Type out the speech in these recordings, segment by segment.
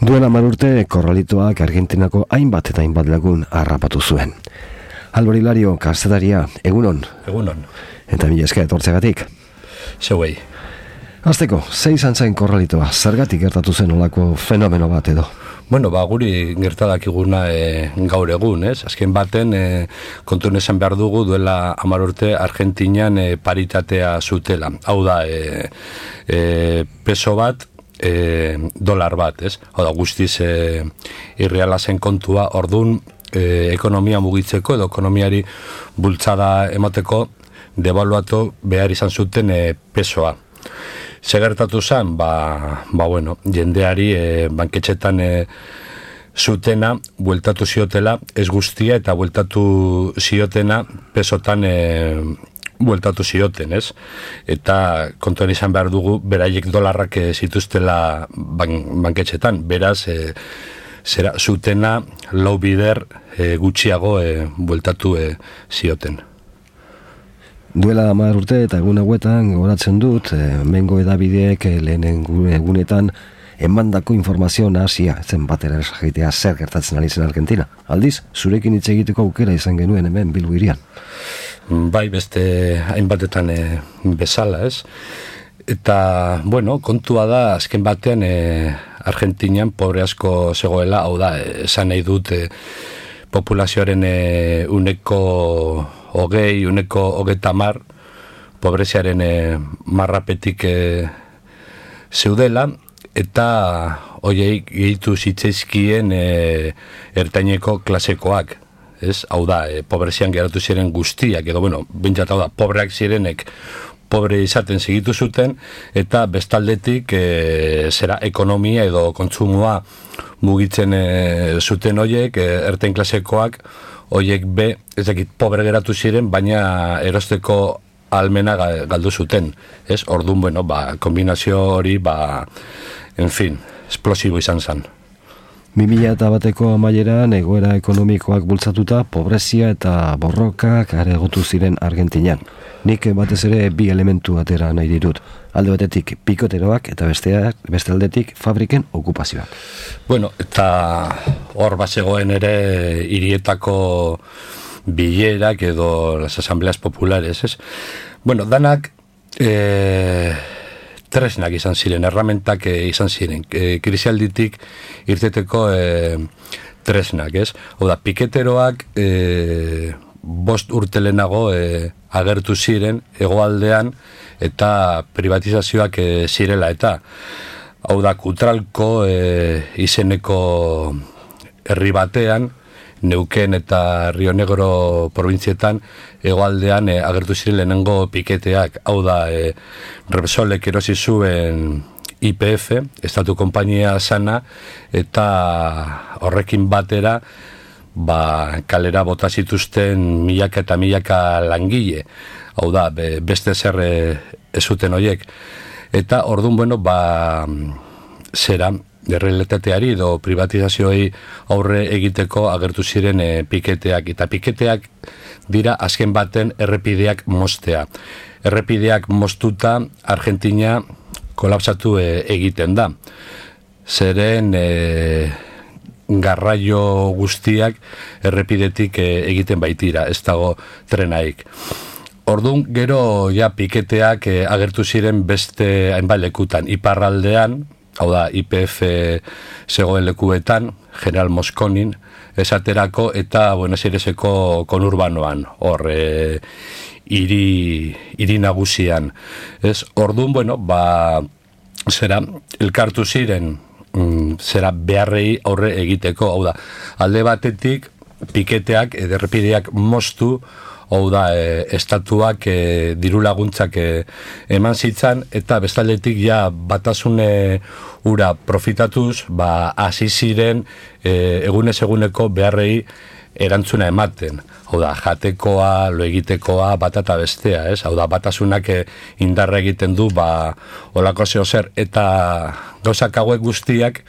Duela 10 urte Korralitoak Argentinako hainbat eta hainbat lagun harrapatu zuen. Albor Hilario, kazetaria, egunon? Egunon. Eta mila esker etortzeagatik. Zeuei. Hasteko, zei izan zen Korralitoa, zergatik gertatu zen olako fenomeno bat edo? Bueno, guri gertadakiguna gaur egun, ez? Azken baten, kontuen esan behar dugu duela 10 urte Argentinian paritatea zutela. Hau da, peso bat, dolar bat, ez? Hau da, guztiz irreala zen kontua, ordun ekonomia mugitzeko edo ekonomiari bultzada emateko devaluatu behar izan zuten pesoa. Segertatu zen, bueno, jendeari banketxetan zutena bueltatu ziotela, ez guztia, eta bueltatu ziotena pesotan bueltatu zioten, ez? Eta kontuan izan behar dugu, beraiek dolarrak zituztela banketxetan, beraz, zutena lau bider gutxiago bueltatu zioten. Duela 10 urte eta egun hauetan goratzen dut, mengo edabideek lehen egunetan emandako informazio nahasia, zen batera esagitea zer gertatzen ari zen Argentina. Aldiz, zurekin hitz egiteko aukera izan genuen hemen Bilbo hirian. Bai, beste hainbatetan bezala, ez? Eta, bueno, kontua da, azken batean Argentinian pobre asko zegoela, hau da, esan nahi dut populazioaren uneko 30 pobreziaren marrapetik zeudela, eta hoiei gehitu zitzaizkien ertaineko klasekoak, ez? Hau da, pobrezian geratu ziren guztiak, edo, bueno, bintzat hau da, pobreak zirenek pobre izaten segitu zuten, eta bestaldetik zera ekonomia edo kontsumoa mugitzen zuten hoiek, ertain klasekoak, hoiek ez dakit, pobre geratu ziren, baina erosteko almena galdu zuten, ez? Orduan, bueno, kombinazio hori, en fin, esplosibo izan zen. 2001ko amaieran egoera ekonomikoak bultzatuta, pobrezia eta borrokak areagotu ziren Argentinan. Nik batez ere bi elementu atera nahi ditut. Alde batetik pikoteroak eta beste aldetik fabriken okupazioak. Bueno, eta hor bazegoen ere hirietako bilerak edo las asambleas populares, ez? Bueno, danak tresnak izan ziren, erramentak izan ziren, krisialditik irteteko tresnak, ez? Oda, piketeroak 5 urte lehenago agertu ziren hegoaldean eta privatizazioak zirela eta hau da, Kutralko izeneko herri batean, Neuken eta Rio Negro provintzietan hegoaldean agertu ziren lehenengo piketeak, hau da, Repsolek erosi zuen YPF, estatu konpainia sana, eta horrekin batera kalera bota zituzten milaka eta milaka langile, hau da, beste zer ez zuten horiek. Eta orduan, bueno, zera, errealitateari edo privatizazioei aurre egiteko agertu ziren piketeak. Eta piketeak dira azken baten errepideak moztea. Errepideak moztuta Argentina kolapsatu egiten da. Zeren garraio guztiak errepidetik egiten baitira, ez dago trenaik. Orduan, gero ja piketeak agertu ziren beste hainbat lekutan, iparraldean, hau da, YPF zegoen lekuetan, General Mosconin, esaterako, eta Buenos Aireseko konurbanoan, hor, hiri nagusian. Ez, orduan, bueno, zera, elkartu ziren, zera beharrei aurre egiteko, hau da, alde batetik, piketeak, errepideak moztu, hau da, estatuak diru laguntzak eman zitzan, eta bestaldetik ja batasun ura profitatuz, hasi ziren egunez eguneko beharrei erantzuna ematen. Hau da, jatekoa, lo egitekoa, bat eta bestea, ez? Hau da, batasunak indarra egiten du, olako zeo zer, eta gauzak hauek guztiak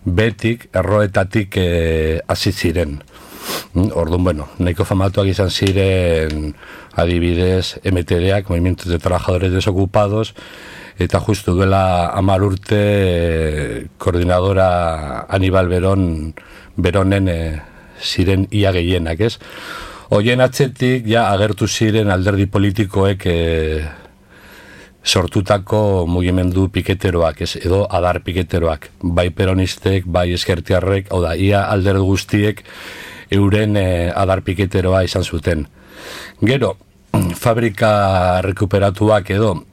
betik, erroetatik hasi ziren. Orduan, bueno, nahiko famatuak izan ziren adibidez MTDak, Movimientos de Trabajadores Desocupados, eta justu duela 10 urte koordinadora Anibal Beronen ziren ia gehienak, ez? Hoien atzetik ja agertu ziren alderdi politikoek sortutako mugimendu piketeroak, ez, edo adar piketeroak, bai peronistek, bai eskertiarrek, hau da, ia alderdi guztiek euren adar piketeroa izan zuten. Gero, fabrika rekuperatuak edo,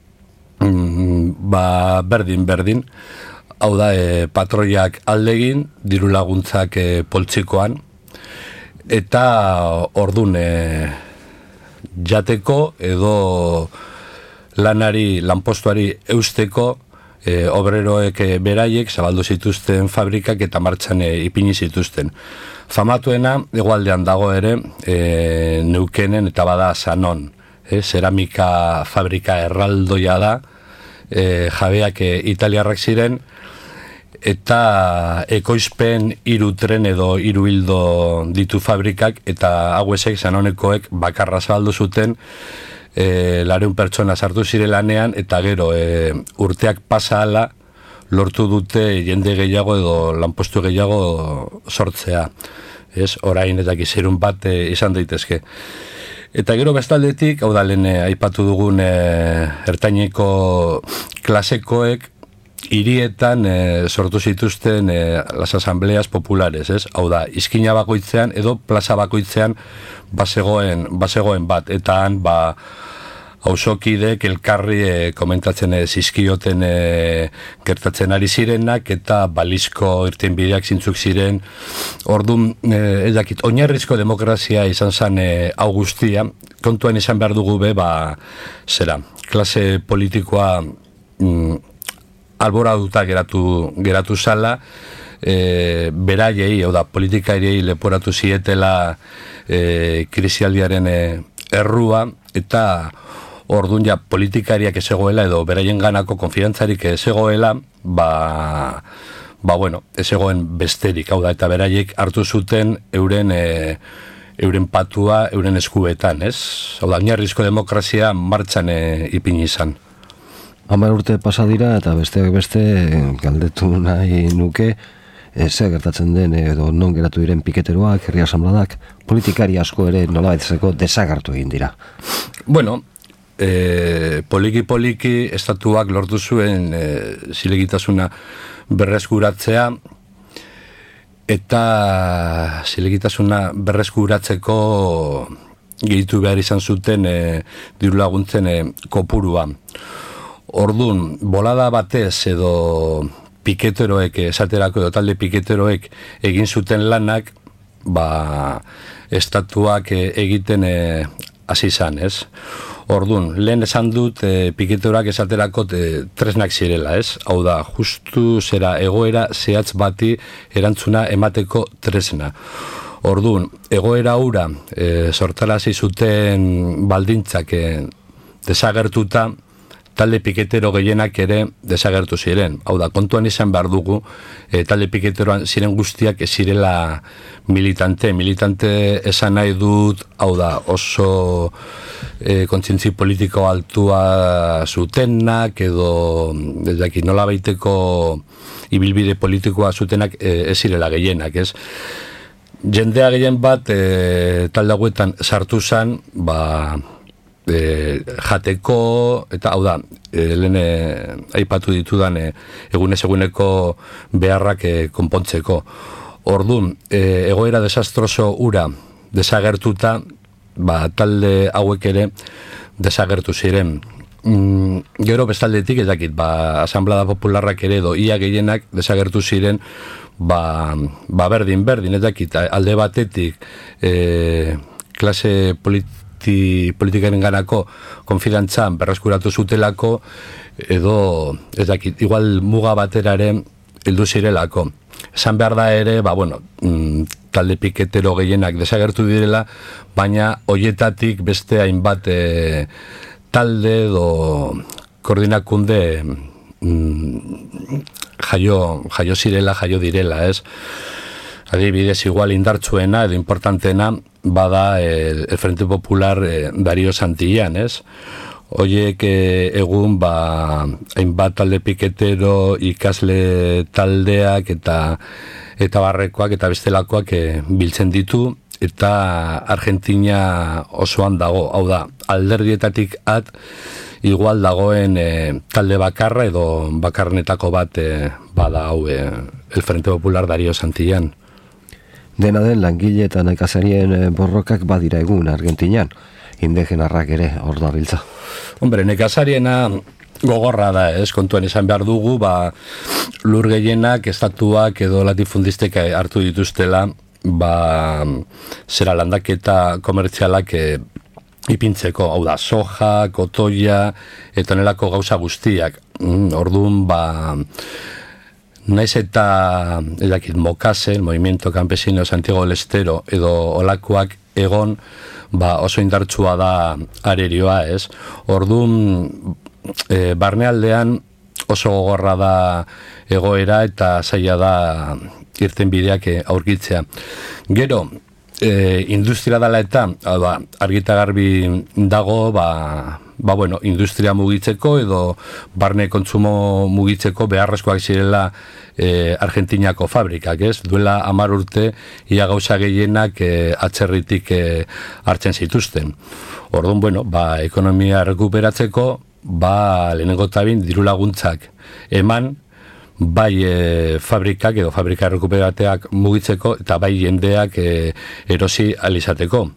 berdin, hau da, patroiak aldegin, diru laguntzak poltsikoan, eta ordun jateko edo lanpostuari eusteko obreroek beraiek zabaldu zituzten fabrikak eta martxan ipini zituzten. Famatuena hegoaldean dago ere Neukenen eta bada Sanon, zeramika fabrika erraldoia da, jabeak italiarrak ziren, eta ekoizpen 3 tren edo 3 hildo ditu fabrikak, eta hauesek Sanonekoek bakarra zabaldu zuten, 200 pertsona sartu zire lanean, eta gero urteak pasa ala lortu dute jende gehiago edo lanpostu gehiago sortzea. Ez, orain eta gizerun bat izan daitezke. Eta gero bestaldetik, hau da lehen aipatu dugun ertaineko klasekoek hirietan sortu zituzten las asambleas populares, ez? Hau da, izkina bakoitzean edo plaza bakoitzean bazegoen bat, eta han auzokidek elkarri komentatzen zizkioten gertatzen ari zirenak, eta balizko irtenbideak zintzuk ziren. Orduan, oinarrizko demokrazia izan zen hau guztia, kontuan izan behar dugu klase politikoa alboratuta geratu zala, beraiei, hau da, politikariei leporatu zietela krisialdiaren errua, eta orduan ja politikariak ez egoela edo beraien ganako konfidantzarik ez egoela, ez egoen besterik, hau da, eta beraiek hartu zuten euren patua, euren eskubetan, ez? Hau da, oinarrizko demokrazia martxan ipini izan. 10 urte pasa dira eta besteak beste galdetu nahi nuke zer gertatzen den edo non geratu diren piketeroak, herri asanbladak, politikari asko ere nolabaitzeko desagertu egin dira. Bueno, poliki estatuak lortu zuen zilegitasuna berreskuratzea, eta zilegitasuna berreskuratzeko gehitu behar izan zuten diru laguntzen kopurua. Orduan, bolada batez edo piketeroek esaterako edo talde piketeroek egin zuten lanak, estatuak egiten hasi izan, ez? Orduan, lehen esan dut piketeroak esaterako tresnak zirela, ez? Hau da, justu zera egoera zehatz bati erantzuna emateko tresna. Orduan, egoera hura sortarazi zuten baldintzak desagertuta, talde piketero gehienak ere desagertu ziren. Hau da, kontuan izan behar dugu, talde piketeroan ziren guztiak ez zirela militante esan nahi dut, hau da, oso kontzientzi politiko altua zutenak, edo nola baiteko ibilbide politikoa zutenak ez zirela gehienak, ez? Jendea gehien bat talde hauetan sartu zen, jateko, eta hau da, lehen aipatu ditudan eguneko beharrak konpontzeko. Orduan, egoera desastroso ura desagertuta, talde hauek ere desagertu ziren. Gero bestaldetik, asanblada popularrak ere edo ia gehienak desagertu ziren, berdin, alde batetik klase politikaren ganako konfidantzan berreskuratu zutelako, edo, igual muga bateraren heldu zirelako. Esan behar da ere, talde piketero gehienak desagertu direla, baina hoietatik beste hainbat talde edo koordinakunde jaio zirela, jaio direla, ez? Adibidez, igual indartsuena edo importantena bada el Frente Popular Darío Santillán, ez? Hoiek egun hainbat talde piketero, ikasle taldeak eta barrekoak eta bestelakoak biltzen ditu, eta Argentina osoan dago, hau da, alderdietatik igual dagoen talde bakarra edo bakarnetako bat bada hau el Frente Popular Darío Santillán. Dena den langile eta nekazarien borrokak badira egun Argentinan, indigenarrak ere hor dabiltza. Hombre, nekazariena gogorra da, kontuan esan behar dugu, lur gehienak, estatuak edo latifundistek hartu dituztela, zera landaketa komertzialak ipintzeko, hau da, soja, kotoia, eta nelako gauza guztiak. Orduan, naiz eta, Mokase, el Movimiento Campesino Santiago del Estero, edo olakoak egon, oso indartsua da arerioa, Orduan, barnealdean oso gogorra da egoera eta zaila da irten bideak aurkitzea. Gero, industria dela eta, argita garbi dago, industria mugitzeko edo barne kontsumo mugitzeko beharrezkoak zirela Argentinako fabrikak, Duela 10 urte ia gauza gehienak atzerritik hartzen zituzten. Orduan, ekonomia rekuperatzeko, lehenengo tabin diru laguntzak eman, bai fabrikak edo fabrika rekuperateak mugitzeko eta bai jendeak erosi alizateko.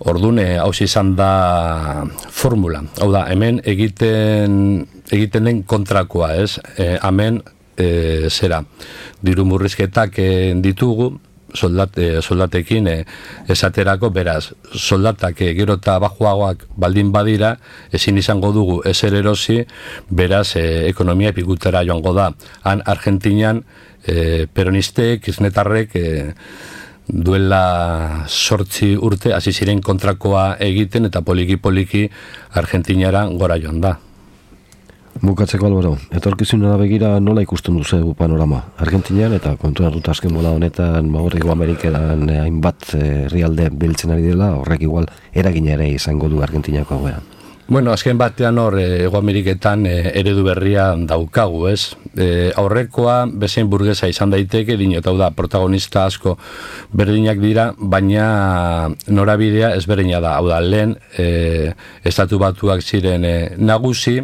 Orduan, hauz izan da formula. Hau da, hemen egiten den kontrakoa, hemen diru murrizketak ditugu, soldatekin esaterako, beraz, soldatak gero eta bajuagoak baldin badira, ezin izango dugu ezer erosi, beraz, ekonomia epikutera joango da. Han, Argentinan, peronistek, kirchnetarrek, duela 8 urte, hasi ziren kontrakoa egiten, eta poliki-poliki Argentinara gora joan da. Bukatzeko, Albaro, etorkizunera begira nola ikusten duzu panorama? Argentinian eta kontuan hartuta azken bola honetan, Hego Ameriketan hainbat herrialde biltzen ari dela, horrek igual eragina ere izango du Argentinako egoera. Bueno, azken batean hor, Hego Ameriketan eredu berria daukagu, aurrekoa bezain burgesa izan daiteke, dinotau da, protagonista asko berdinak dira, baina norabidea ezberdina da. Hau da, lehen, estatu batuak ziren nagusi,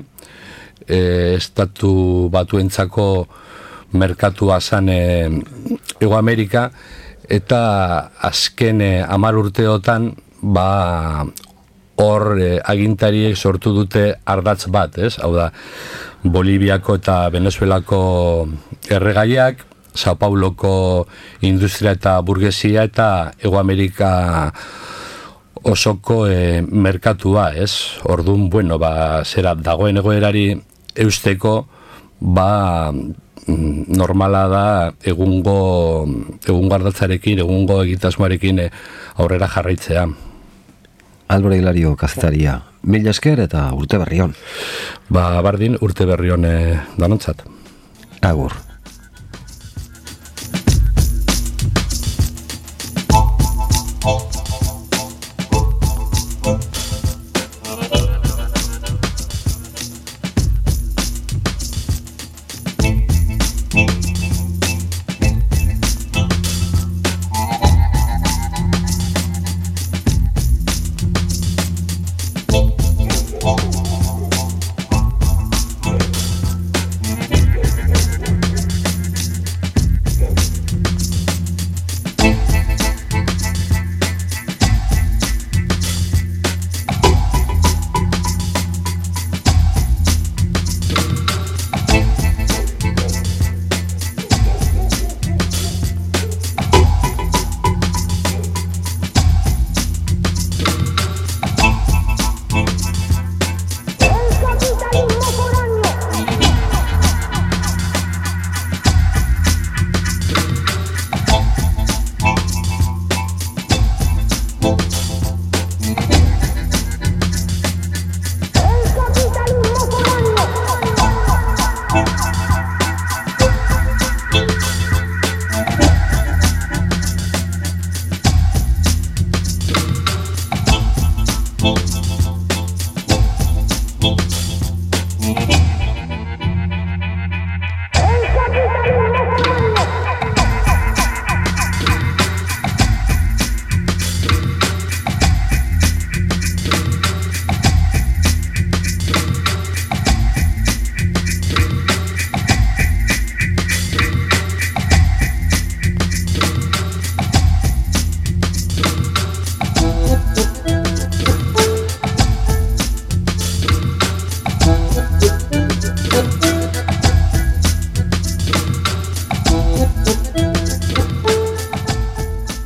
estatu batuentzako merkatua zan Hego Amerika, eta azken 10 urteotan hor agintariek sortu dute ardatz bat, hau da, Boliviako eta Venezuelako erregaiak, Sao Pauloko industria eta burgesia eta Hego Amerika osoko merkatua, Orduan, zera dagoen egoerari eusteko, normala da egungo ardatzarekin, egungo egitasmoarekin aurrera jarraitzea. Albaro Hilario, kazetaria, mila esker eta urte berri on. Bardin, urte berri on danontzat. Agur.